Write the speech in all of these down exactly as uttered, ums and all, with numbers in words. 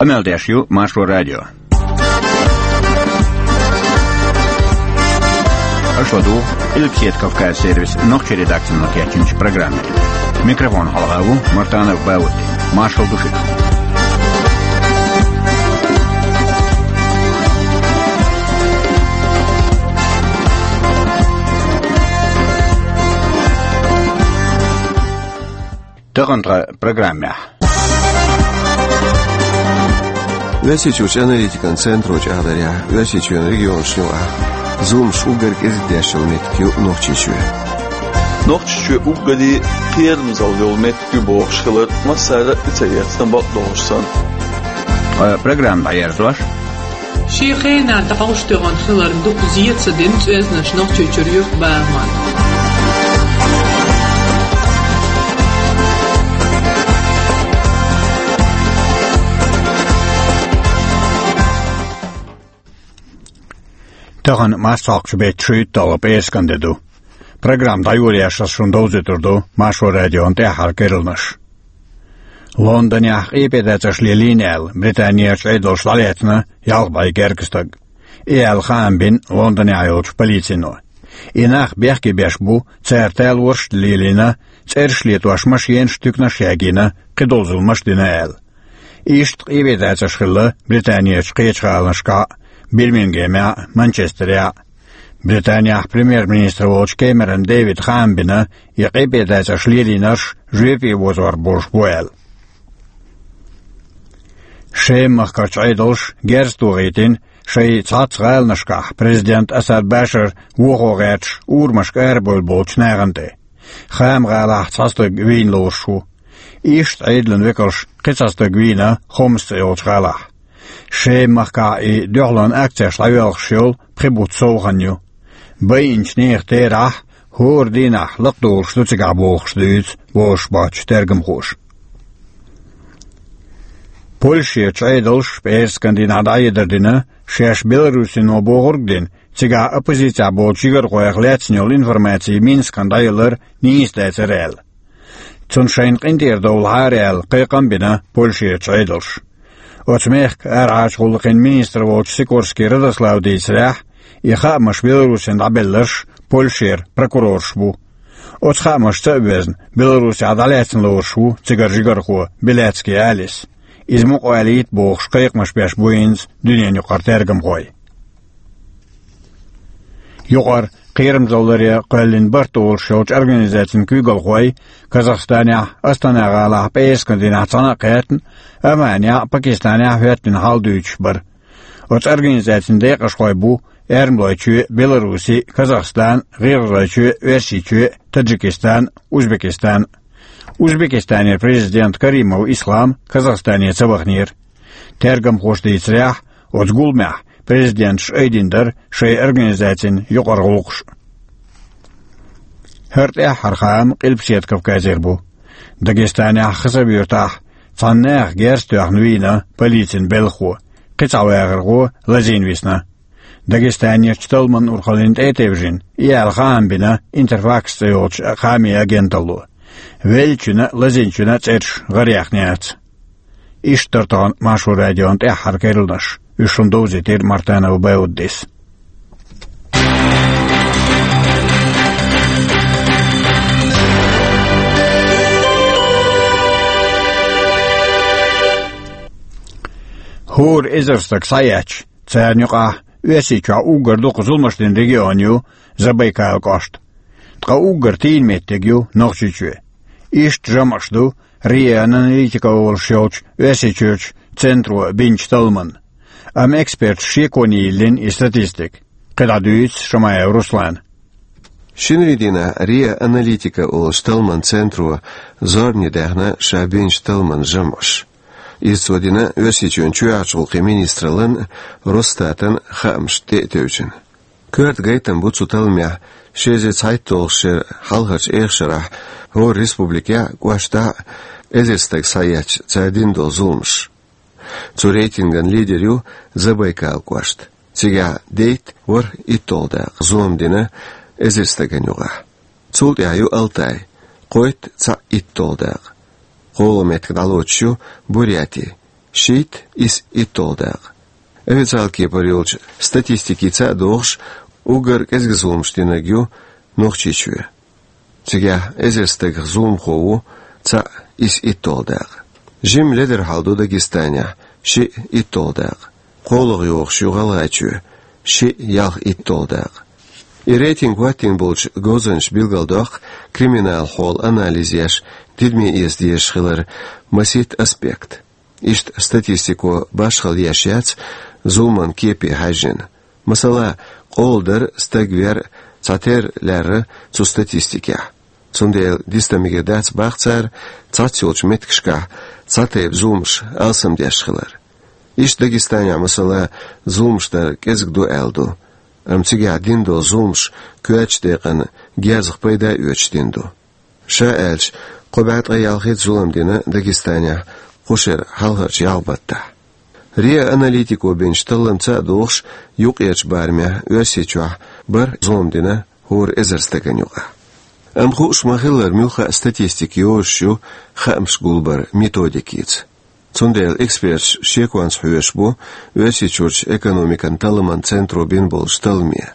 Къамел деш ю Маршо радио. Аша ладугӀу Къилбаседа Кавказ сервисан нохчийн редакцино кечйинчу программе. Микрофон хьалха ву Мартанов Баудди. Маршалла ду шуьга. Тахана тхан программехь. Оьрсийчуьрчу аналитикан центро чӀагӀдарехь, Оьрсийчоьнан регионашна юкъахь зуламаш уггар кӀезиг деш йолу меттиг ю Нохчийчоь. Нохчийчоь уггаре кхерамзалла йолу меттиг ю бохуш хилар массара а тӀе ца эцна, бакъдолуш санна. Ткъа программа дӀаерзош, шен хенахь дӀахьош тоьхна хиларна дукха зен ца дина цӀоьзнаш Нохчийчуьра юьртбахаман. Тахана марсхьокхучу беттан шуьйтталгӀа пӀераскан де ду. Программа дӀайолош ас шуна довзуьйтур ду Маршо радион тӀаьххьара керланаш. Лондонехь къепедацарш лелийна аьлла, Британерчу Ӏедалша дӀалецна ялх бӀе гергга стаг. И аьлла хаам бина Лондонехь йолчу полицино. И нах бехке беш бу, цара талорш а лелийна, цӀераш летош машенаш, туьканаш а ягийна, кхидолу зуламаш а дина аьлла. Иштта къепедацарш хилла Британерчу кхечу гӀаланашкахь а, Бирмингемехь а, Манчестерехь а. Британехь премьер-министр волчу Кэмерон Дэвида хаам бина, и къепедацарш лелийнарш жоьпе озор болуш бу аьлла. Шема-махкарчу Ӏедалша герз тохийтина, шайн цхьацца гӀаланашкахь президент Асад Башар вохо гӀерташ урамашка арабевлла болчу нахана тӀе. Хама-гӀалахь цхьа стаг вийна лоруш ву. Иштта Ӏедалан векалш кхин цхьа стаг вийна Хомс цӀе йолчу гӀалахь. Шема-махкахь и дуьхьалонан акцеш дӀайоьлхуш йолу пхи бутт сов хан ю. Байинчу нехан терахь, хӀора дийнахь лакхадолуш ду цигахь бохуш дуьйцу бозуш боцчу тергамхоша. Польшерчу Ӏедалша пӀераскан дийнахь дӀахьедар дина, шаьш Беларусино бохург а дина, цигахь оппозицехь болчу жигархойх лаьцна йолу информаци Минскана дӀаялар нийса дацара аьлла. Цунна шайна къинтӀера довлахьара аьлла, кхайкхам а бина Польшерчу Ӏедалша. Оцу мехкан арахьарчу гӀуллакхийн министр волчу Сикорский Радослава дийцарехь, и хаамаш Беларусина дӀабелларш Польшера прокурораш бу. Оцу хаамашца а боьзна, Беларусехь дӀалаьцна лоруш ву цигара жигархо Беляцкий Алис. Иза мукъа валийта бохуш кхайкхамаш беш бу хӀинца дуьненан юкъара тергамхой. Юкъара кхерамзалле кхоьллина барт олуш йолчу организацин куьйгалхой Казахстанехь, Астана-гӀалахь пӀераскан дийнахь цхьаьна а кхеттина, Оманехь а, Пакистанехь а хӀоьттина хьал дуьйцуш бара. Оцу организацин декъашхой бу Эрмалойчоь, Беларуси, Казахстан, ГӀиргӀазойчоь, Оьрсийчоь, Таджикистан, Узбекистан. Узбекистанера президент Каримов Ислам Казахстане ца ваханера. Тергамхоша дийцарехь, оцу гуламехь президенташа айдина дара шайн организацин юкъара гӀуллакхаш. ХӀара тӀаьххьара хаам Къилбаседа Кавказера бу. Дагестанехь Хасавюртахь цхьана наха герз тоьхна вийна полицин белхахо, кхин цхьа вахархо лазийна висна. Дагестанерчу талламан урхаллина тӀе а тевжина, и аьлла хаам бина Интерфакс цӀе йолчу хаамийн агенталло. Веллачуьнан а, лазийначуьнан а цӀераш гӀараяьхна яц. Иштта дара тахана Маршо радион тӀаьххьара керланаш. Уьш шуна довзийтира Мартанов Бауддис. ХӀора эзар стаг схьаэцча, царна юкъахь Оьрсийчохь уггар дукха зуламаш дина регион ю Забайкал кӀошт. Ткъа уггар тийна меттиг ю Нохчийчоь. Иштта жамӀаш ду РИА Аналитика олуш йолчу Оьрсийчуьрчу центро бинчу талламан. Амма эксперташа шеконе йиллина и статистика. КхидӀа дуьйцу Шамаев Руслана. Шинарин дийнахь РИА Аналитика олуш талламан центро зорбане даьхна ша бинчу талламан жамӀаш. Иза цо дина Оьрсийчоьнан чоьхьарчу гӀуллакхийн министраллан а, Росстатан а хаамашна тӀе а тевжина. Коьрта гайтам бу цу талламехь ши эзар цхьайтталгӀачу шеран хьалхарчу эха шарахь хӀора республикехь а, кӀоштахь а эзар стаг схьаэцча, цара дина долу зуламаш. Цу рейтинган лидер ю Забайкал кӀошт. Цигахь дейтта ворхӀ итталгӀа дакъа зулам дина эзар стагана юкъахь. Цул тӀаьхьа ю Алтай, кхойтта цхьаъ итталгӀа дакъа. КхоалгӀа меттиг дӀалоцуш ю Буряти, шийтта-исс иттолгӀа дакъа. Официалан кепара йолчу статистикица а догӀуш, уггар кӀезиг зуламаш динарг ю Нохчийчоь. Цигахь эзар стагах зуламхо ву цхьаъ-исс иттолгӀа дакъа. Жимма ледара хьал ду Дагестанехь, шиъ иттолгӀа дакъа. КхоалгӀа йогӀуш ю ГӀалгӀайчоь, шиъ ялх иттолгӀа дакъа. И рейтинг хӀоттийна болчу говзанчаша билгалдоккху криминалан хьолан анализ еш, тидаме эца дезаш хиларан масийтта аспект. Иштта статистико башхалла еш яц зуламан кепе хьаьжжина. Масала, къола дар, стаг вер цхьатерра лаьрра цу статистикехь. Цундела диста мегар дац боху цара цхьацца йолчу меттигашкахь цхьа тайпа зуламаш алсамдеш хилар. Иштта Дагестанехь, масала, зуламаш дар кӀезиг ду аьлла ду, амма цигахь дина долу зуламаш коьртачу декъана герзах пайда оьцуш дина ду. Ша аьлча, кхо бӀе ткъе ялхитта зулам дина Дагестанехь кху шеран хьалхарчу ялх баттахь. РИА Аналитико бинчу талламца а догӀуш, юккъерчу барамехь Оьрсийчохь бархӀ зулам дина хӀора эзар стагана юкъахь. Амма хууш ма-хиллара, муьлхха а статистика йозуш ю хаамаш гулбаран методикица. Цундела эксперташ шеконца хьоьжуш бу Оьрсийчуьрчу экономикан талламан центро бина болчу талламе.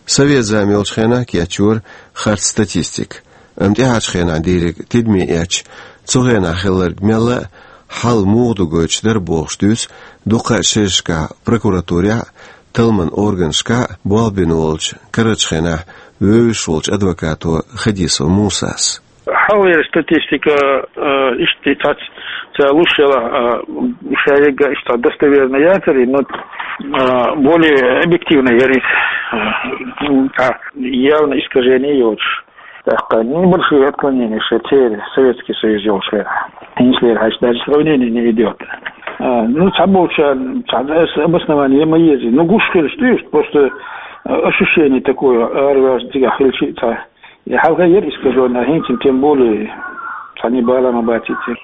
Совет зама йолчу хенахь кечйора харц статистика, амма тӀаьхьарчу хенахь дийриг тидаме эцча, цу хенахь хилларг мелла а хьал муха ду гойтуш дара бохуш дуьйцу дуккха а шерашкахь прокуратурехь а, талламан органашкахь а болх бина волчу, карарчу хенахь вевзаш волчу адвокато Хадисов Мусас. Хьалхара статистика, а, иштта цхьацца ца луш яла, а, шаерга иштта достоверно яцара, но, а, более объективно яра иза, а, а, явно искажение йоцуш. ТӀаккха небольшие отклонения ше церан Советский Союз йолчу хенахь. ХӀинцалера хьаьжча, даже сравнение не идёт. А, ну, цхьаболча, цхьа обоснование ма еза. Ну, гуш хилча дуьйш, просто, а, ощущение такое, арваж цигахь хилча цхьа. И хьалха яра искажённая, хӀинца тем более цхьа небала ма бацийцира.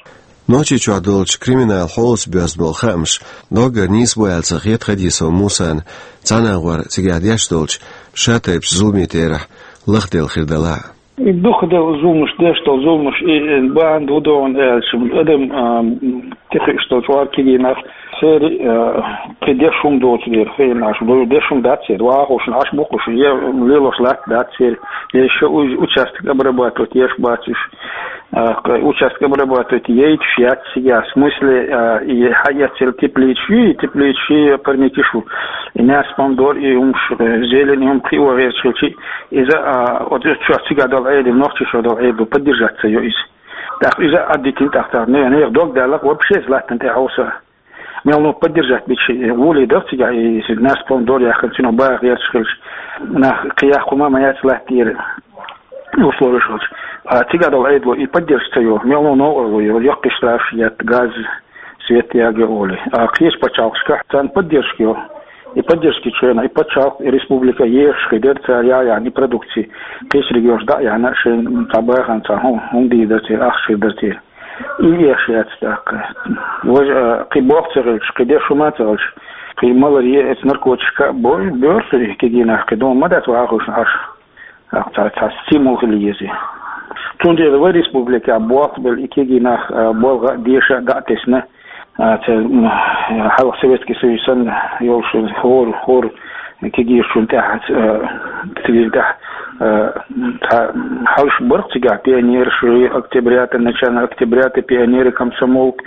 Нохчийчохь долчу криминалан хьолаца боьзна болу хаамаш доггара нийса бу аьлла ца хета Хадисов Мусана цхьана агӀор цигахь деш долчу шатайпачу зуламе терахь лахделла хир делахь а. И дукха делла зуламаш, деш долу зуламаш, и, и бахьана ду догӀун аьлча, адам, а, тӀекхуьуш долу чкъор кегий нах, церан, а, кхин деш хӀума доцу дела, хенаш, деш хӀума дац церан, вахушна, Ӏаш бу-кх уьш, я лелош латта дац церан, я ша уьш участок обрабатывать еш бац уьш, а, кхин участок обрабатывать яйтуш яц цигахь, в смысле, а, и хьаэццал тепличаш ю, и тепличаш и парникаш ю, и нерс помидор, и хӀумаш, э, зелень, и хӀума кхио гӀерташ хилчи, иза, а, оцу чохь цигахь долу Ӏедал, нохчашо долу Ӏедал поддержать ца йо иза. ТӀаккха иза а дитина тӀаккха, не, нехан дог далла вообще иза латтана тӀе хьовса. Мел ну поддержать бича, э, гӀоле дара цигахь, и нерс помидор яхкана, цуьнан баха гӀерташ хилча, нах кхин яккха хӀума ма яц латтийра, условиш хилча. А цигахь долу Ӏедало и поддержка ца йо, мел ну новкъарло йо, яккхий штраф етта, газ, свет яга олий. А кхечу пачхьалкхашкахь царна поддержка йо. И поддержка чуьра, и пачхьалкх, и республика ешаш хир дара цара яхьа яхьа и продукция. Кхечу регионаш дӀа а яхьна, шайн цхьа бахана цхьа хӀу-, хӀума дийр дара церан, ахча хир дара церан. И еш яц тӀаккха. Важа, а, кхин болх ца хилча, кхин деш хӀума ца хилча, кхин малар е эца наркотика а бо-, боьрсур кегий нах, кхин дома ма дац вахуьйтуш Ӏаш. Цхьа, цхьа стимул хила еза. Цундела вай республикехь болх а белла, и кегий нах, а, болх а, деша а дӀа а тесна, а, ца, м, хьалха Советский Союз санна йолуш хӀора, хӀора кегийчун тӀехь, а, цигахь, а, цхьа хьалш бара-кх цигахь пионераш, октябрята, начало октябрята, пионеры, комсомолка,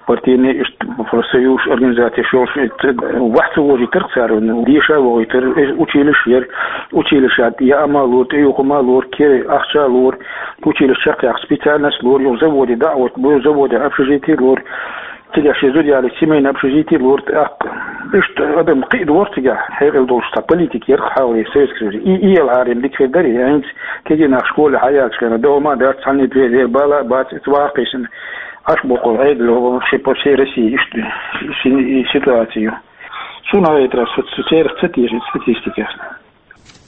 партийный, иштта профсоюз организацеш йолуш, ваьхьа ца вожийтира-кх цара, ну, деша а вохуьйтура, э, училища яра, училища яа ма лора, тӀеюху ма лора, кхин ахча а лора, училище чекхъяккха специальность лора, юха заводе дӀа а оттабора, заводе общежитие лора, цигахь шен зуда ялийча семейное общежитие лора, тӀаккха иштта адам кхин а дора цигахь, хьекъал долуш цхьа политика яра-кх хьалхалера Советский Союзе. И, и яла хьарем дика хир дара, хӀинца кегий нах школе хьаяьлча хенахь, дома а дац, цхьанна а двере, бала а бац, эца ваха кхийсина. Ӏаш бу-кх Ӏедало вообще по всей России иштта си-, ситуацию. Суна гӀайтарехь, со, со церах ца теша статистика.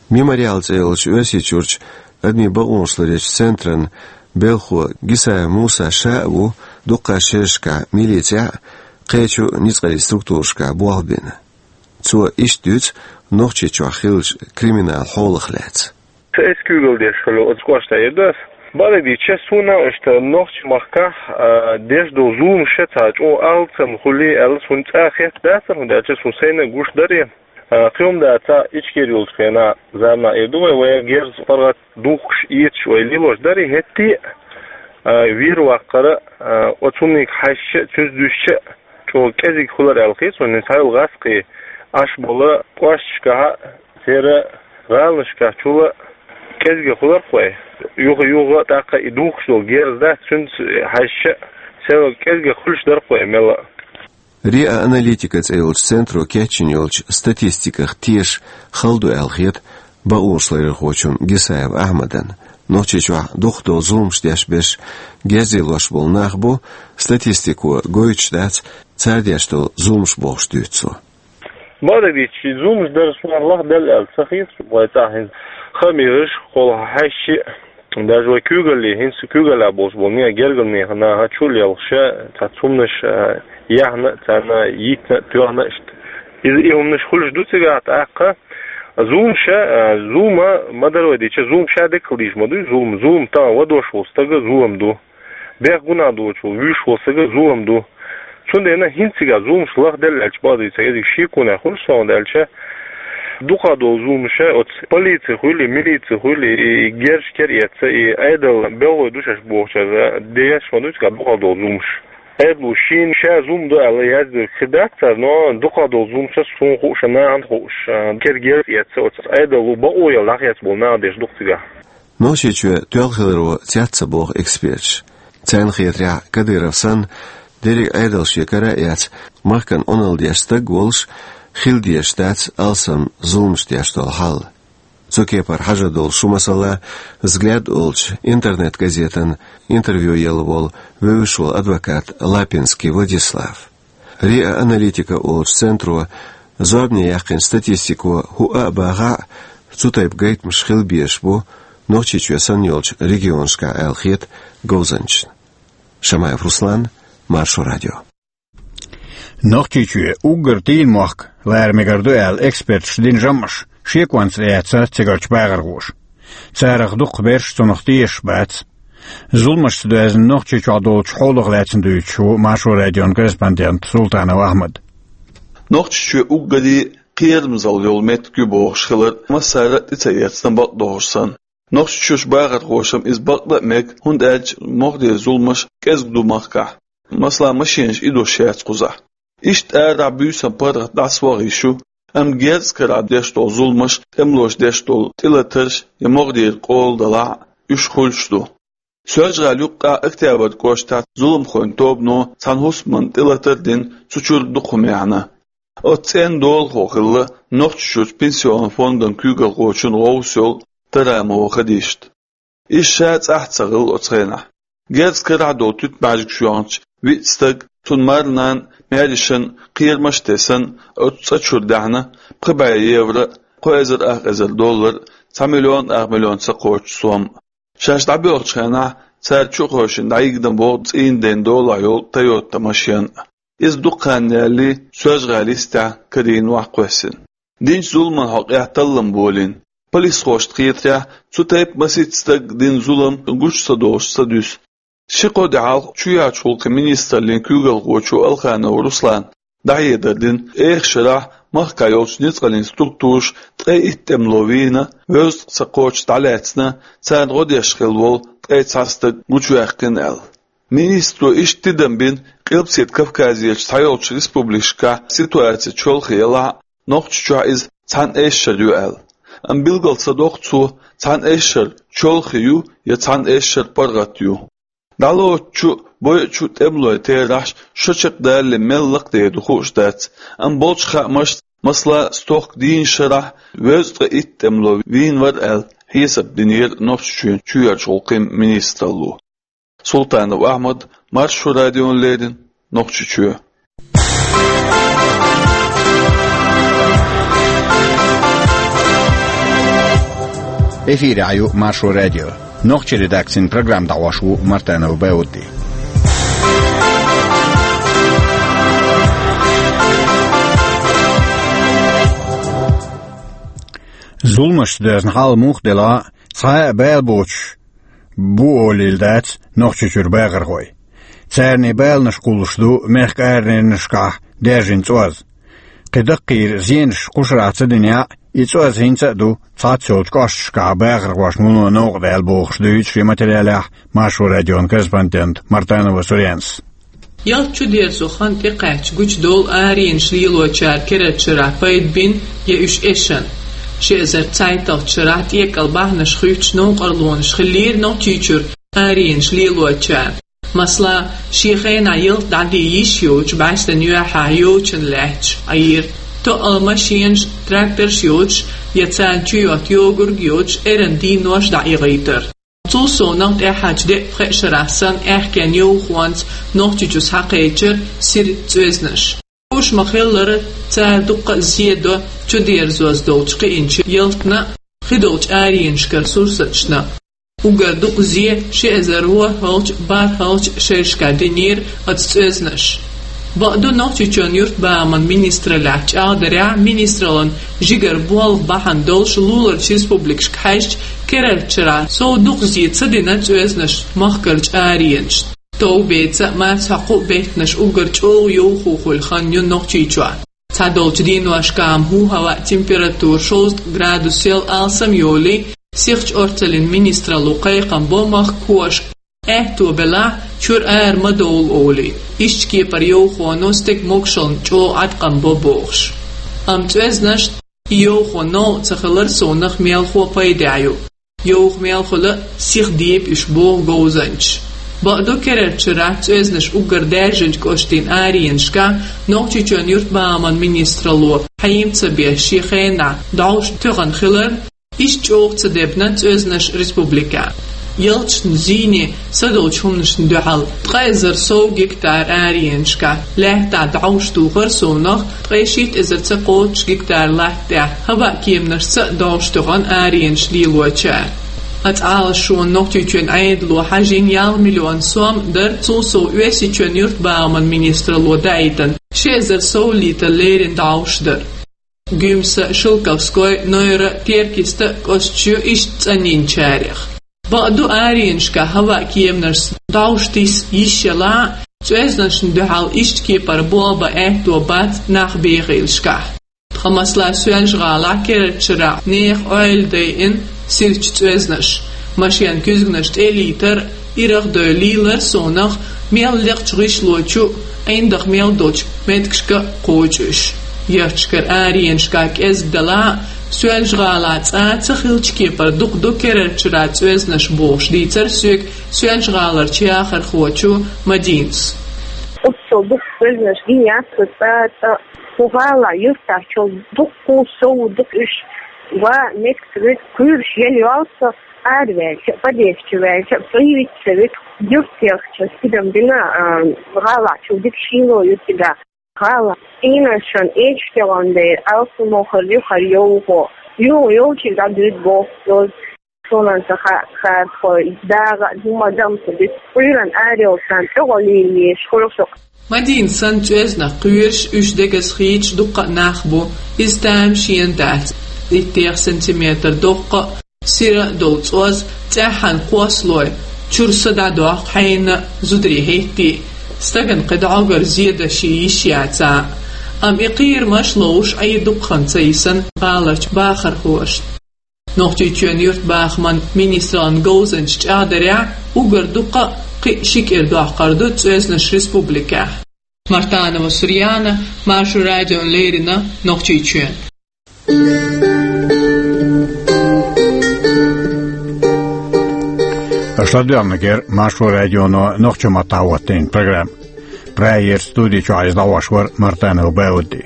Мемориал цӀе йолчу Оьрсийчуьрчу адамийн бакъонаш ларъечу центран белхахо Гисаев Муса ша а ву дуккха шерашкахь милицехь а, кхечу ницкъаллин структурашкахь болх бина. Цо иштта дуьйцу Нохчийчохь хиллачу криминалан хьолах лаьцна. Аса куьйгалла деш хилла оцу кӀоштахь яра ас. Бакъдерг дийцича, суна иштта нохчийн махкахь, а, деш долу зуламаш цхьа чӀогӀа алсам хуьлий аьлла, суна цкъа а хетта дацара, хӀунда аьлча суна сайна а гуш дара. А, кхин хӀума дац, Ичкери йолчу хенахь, заманахь эр ду вай, вай герз паргӀат духкуш, эцаш вай лелош дара, хӀетте а, а, вер ваккхара, а, оцу хӀуманиг хьаьжча а, цуьнца дуьстича а, чӀогӀа кӀезиг хуьлура аьлла хета суна, хӀинца хьайолу гӀазкхий Ӏаш болу кӀошташкахь а, церан гӀаланашкахь чул а кӀезиг хуьлура-кх вай. Юха-юха а тӀаккха и духкуш долу герз дац, цуьнца хьаьжча а, сел кӀезиг хуьлуш дара-кх вай мелла а. РИА Аналитика цӀе йолчу центро кечйина йолчу статистиках теша хала ду аьлла хета бакъонашларъярхочунна Гисаев Ахьмадан. Нохчийчохь дукхах долу зуламаш деш берш герз лелош болу нах бу, статистико гойтуш дац цара деш долу зуламаш, бохуш дуьйцу цо. Бакъдерг дийцича, и зуламаш дарш лахделла аьлла ца хета вай цӀахь хӀинца. Хаамаш, кхол хьаьжча а, даже вай куьйгалле, хӀинца куьйгаллехь болуш болу нехан, гергарчу нехан наха чул а лелхаш, цхьацца хӀуманаш, а, яьхна а, царна йитина а, тоьхна а иштта. Иза и хӀуманаш хуьлуш ду цигахь тӀаккха. Зуламаш, а, зулам ма-дарра вай дийцича, зулам ша деккъала дийш ма ду, зулам, зулам тахана вадош волу стага зулам ду. Бехк гунахь доцуш волу, вуьйш волу стага зулам ду. Цундела хӀинца цигахь зуламаш лахделла аьлча, бакъдерг дийцича, иза шеконехь хуьлу суна, хӀунда аьлча дукхах долу зуламаш оцу полици хуьлий, милици хуьлий, и герзаш кера эцна, и Ӏедал белхалой ду шаьш бохучара деш ма ду цигахь дукхах долу зуламаш. Ӏедало шена ша зулам ду аьлла яздерг хир дац цара, но дукхах долу зуламаш суна хууш, нахана хууш, кера герз эцна оцу Ӏедало бакъо яла дӀахецна болу нах деш ду-кх цигахь. Нохчийчоь тоьлла хиларо цец ца боху эксперташа. Царна хетарехь, Кадыров санна, дерриг а Ӏедал шен кара а эцна, махкана Ӏуналла деш стаг волуш, хила дезаш дац алсам зуламаш деш долу хьал. Цу кепара хьажа долуш шу масала, «Взгляд» олучу интернет-газетана интервью елла волу вевзаш волу адвокат Лапинский Владислав. РИА Аналитика олучу центро зорбане яьккхина статистико хӀуъа а бахахь а, цу тайпа гайтамаш хила безаш бу Нохчийчоь санна йолчу регионашкахь аьлла хета говзанчашна. Шамаев Руслан, Маршо радио. Нохчийчоь уггар дийна мохк лара мегар ду аьлла эксперташа дина жамӀаш шеконца эцна цигарчу бахархоша. Царах дукхахберш цунах тешаш бац. Зуламашца доьзна Нохчийчохь долчу хьолах лаьцна дуьйцуш ву Маршо радион корреспондент Султанов Ахьмад. Нохчийчоь уггаре кхерамзалла йолу меттиг ю бохуш хилар массара а тӀе ца эцна, бакъдолуш санна. Нохчийчуьрчу бахархошна иза бакъда а мега, хӀунда аьлча могӀарера зуламаш кӀезиг ду махкахь. Масала, машенаш идош яц кхузахь. Иштта арахь буьйсанна паргӀат дӀасаваха йиш ю, амма герз карахь деш долу зуламаш, тӀемалоша деш долу тӀелатарш я могӀарера къола далахь а, уьш хуьлуш ду. Соьлжа-ГӀала юккъехь Октябрь кӀоштахь зуламхойн тобано цхьана хӀусамна тӀелатар а дина, цу чуьра дукха хӀума яьхьна. Оцу цӀенна долахо хилла Нохчийчуьрчу пенсионан фондан куьйгалхочун гӀовс йолу Тарамова Хадишат. Иза ша цӀахь а ца хилла оцу хенахь. Герз карахь долу туьтмаьжгаш йоьхначу виъ стаг, цуьнан марнанна, маьршанна кхерамаш а тесна, оцу цӀа чуьра даьхьна пхи бӀе евро, кхо эзар ах эзар доллар, цхьа миллион ах миллион ца кхоччу сом. Шаьш дӀабоьлхучу хенахь цара чу а хевшина дӀайигна боху цӀийнан ден долахь йолу Тойота машен а. Иза дукха хан ялале Соьлжа-ГӀала йистехь карийна ваха кхоьссина. Динчу зуламан хьокъехь таллам болийна. Полисхошна хетарехь, цу тайпа масийтта стага дина зулам гучу ца долуш ца дуьсу. Ши-кхо де хьалха чоьхьарчу гӀуллакхийн министраллин куьйгалхочо Алханов Руслана дӀахьедар дина, эха шарахь махкахь йолчу ницкъаллин структураша ткъе итт тӀемало вийна, вевза-ткъа ца кхоччуш дӀалаьцна, царна гӀо деш хилла волу ткъе цхьа стаг гучуваьккхина аьлла. Министро иштта тидам бина, Къилбаседа Кавказерчу цхьайолчу республикашкахь ситуаци чолхе ялахь а, Нохчийчохь иза цхьана эшшара ю аьлла. Амма билгал ца доккху цо, цхьана эшшара чолхе ю я цхьана эшшара паргӀат ю. ДӀалоцучу, бойучу тӀемалойн терахьаш шо чекхдалале мел лакхадер ду хууш дац, амма болчу хаамашца, масала, стохка дийнна шарахь вевза-ткъе итт тӀемало вийна вара аьлла, хьесап динера Нохчийчоьнан чоьхьарчу гӀуллакхийн министралло. Султанов Ахьмад, Маршо радиона леррина, Нохчийчоь. Эфирехь ю Маршо радио. Нохчийн редакцин программа дӀахьош ву Мартанов Баудди. Зуламашца доьзна хьал муха делахь а, цхьа а бала боцуш, бу олийла дац Нохчийчуьра бахархой. Царний баланаш кхуллуш ду мехка аренашкахь даьржина цӀоз. Кхин даккхийра зенаш кхушарахь ца динехь, и цӀоз хӀинца а ду цхьацца йолчу кӀошташкахь бахархошна вуно новкъа даьлла бохуш, дуьйцу шен материалехь Маршо радион корреспондента Мартанова Сурьянас. Ялта чудерзо хан тӀекхаьчча гучудолу аренаш лелочара керарчу шарахь пайда бина я уьш эшна. Ши эзар цхьайтталгӀачу шарахь тӀекӀал бахьанаш хуьттуш новкъарлонаш хиллера Нохчийчуьра аренаш лелочара. Масала, шен хенахь ялта дӀадийна йиш йоцуш бӀаьстенан юьхьехь йочана лаьтташ Ӏийра. Тоъал машенаш, тракторш йоцуш я царна чу йотта йогург йоцуш, эрна дийнош дӀаихийтира. Цул совнаха тӀаьхьарчу деа-пхеа шарахь санна аьхкенан йовхонца Нохчийчу схьакхечира сира цӀоьзнаш. Уьш ма-хиллара, цара дуккха а зе до чудерзош долчу кхиъначу ялтана а, кхидолчу аренашкара сурсаташна а. Уггар дукха зе ши эзар ворхӀалгӀачу, бархӀалгӀачу шерашкахь динера оцу цӀоьзнаша. Бакъду, Нохчийчоьнан юьртбахаман министраллехь чӀагӀдарехь, министраллин жигара болх бахьана долуш луларчу республикашка хьаьжча, керарчу шарахь сов дукха зе ца дина цӀоьзнаша махкарчу аренашна. Товбеца а, марсхьокху а беттанаш уггар чӀогӀа йовхо хуьлу хан ю Нохчийчохь. Цхьадолчу дийношкахь-м хӀу хӀаваъ температура шовзткъа градусел алсам йолий, сихачу орцаллин министралло кхайкхам бо махкахошка, аьтто белахь, чуьра ара ма довла олий, иштта кепара йовхоно стеган могушаллина чӀогӀа Ӏаткъам бо бохуш. Амма цӀоьзнашна и йовхо новкъа ца хилар совнаха мелхо пайдехь ю. Йовха мел хуьлу а сиха деба уьш, боху говзанчаша. Бакъду, керарчу шарахь цӀоьзнаш уггар даьржинчу кӀоштийн аренашкахь Нохчийчоьнан юьртбахаман министралло хьийма ца беш шен хенахь дӀовш тоьхна хиларна, иштта чӀогӀа ца дебна цӀоьзнаш республикехь. Ялташна зийне садолчу хӀуманашна дуьхьал ткъа эзар сов гектар аренашкахь лаьттахь дӀовш тухар совнаха, ткъе шийтта эзар ца кхоччуш гектар латта тӀехь хӀаваъ кеманашца а дӀовш тоьхна аренаш лелочара. Оцу Ӏалашонна Нохчийчоьнан Ӏедало хьажийна ялх миллион сом дара, цул сов Оьрсийчоьнан юьртбахаман министралло даийтина ши эзар сов литр леррина дӀовш дара. Гуьмса, Шелковской, Нойра, Теркиста кӀошташ ю иштта цӀанйинчарех. Бакъду, аренашкахь хӀаваъ кеманашца дӀовш тиса йиш ялахь а, цӀоьзнашна дуьхьал иштта кепара болх бан аьтто бац нах бехийлашкахь. Тхан, масала, Соьлжа-ГӀалахь керарчу шарахь нехан ойла дайина сирачу цӀоьзнаша. Машенан куьзганаш тӀе а лийтар, ирах а дой лийлар совнаха, мел лекхачу гӀишло чу а, ӀиндагӀа мел долчу меттигашка а кхочу уьш. Ярташкара аренашкахь кӀезиг далахь а, Соьлжа-ГӀалахь цкъа а ца хиллачу кепара дукха ду керарчу шарахь цӀоьзнаш бохуш дийцара соьга Соьлжа-ГӀаларчу яхархочо Мадинас. Оццул дукха цӀоьзнаш гина яц со цкъа а, цкъа а. ХӀу гӀалахь, юьртахь чул дуккха а сов ду уьш. Ва меттиг ца вуьту, куьйраш ела йолу со, араваьлча а, подъезд чу ваьлча а, цӀа йиц ца вуьту. Юьртахь яхча, тидам бина, а, гӀалахь чул дика шийла ю цигахь. ГӀалахь цӀийнашна эчтегӀан дера алсам хир ю хӀара йовхо. Юха йовчуьнга дӀадуьйду боху цо. Суна ца ха-, хатхой, дагӀа а, хӀума дам ца дуьту. Кхуьйран арайолчарна тӀе гӀо лелаеш хуьлу со. Мадина санна цӀоьзнах кхоьруш, уьш дегаза хийцаш дуккха а нах бу, иза тамашийна дац. Иттех сантиметр доккха а, сира а долу цӀоз цӀеххьана кхоссалой, чуьра са дӀадоккху хьайна, зударий хӀиттий. Стагана кхин дӀогара зе дан шен йиш яцахь а. Амма и кхерамаш ловш Ӏийр дукха хан ца йисна гӀаларчу бахархошна. Нохчийчоьнан юьртбахаман министраллин говзанчаша чӀагӀдарехь, уггар дуккха а кхин а ши кӀира доккхур ду цӀоьзнаш республикехь. Мартанова Сурьяна, Маршо радиона леррина, Нохчийчоь. Аша ладоьгӀнарг яра Маршо радионо нохчийн маттахь хӀоттийна программа. Прагера студи чохь иза дӀахьош вара Мартанов Баудди.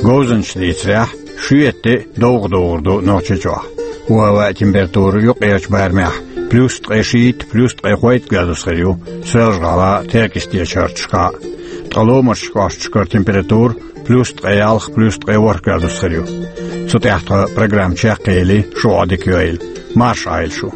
Говзанчаша дийцарехь, шоьтан де довха догӀур ду Нохчийчохь. ХӀу-хӀаваан температура юккъерчу барамехь плюс ткъе шийтта, плюс ткъе хойтта градус хир ю Соьлжа-ГӀалахь а, Теркйистечу хӀорташкахь а. Ткъа ломарчу кӀошташкара температура плюс ткъе ялх, плюс ткъе ворхӀ градус хир ю. Цу тӀехь тхан программа чекхъели, шун Ӏодика йойла. Марша Ӏойла шу.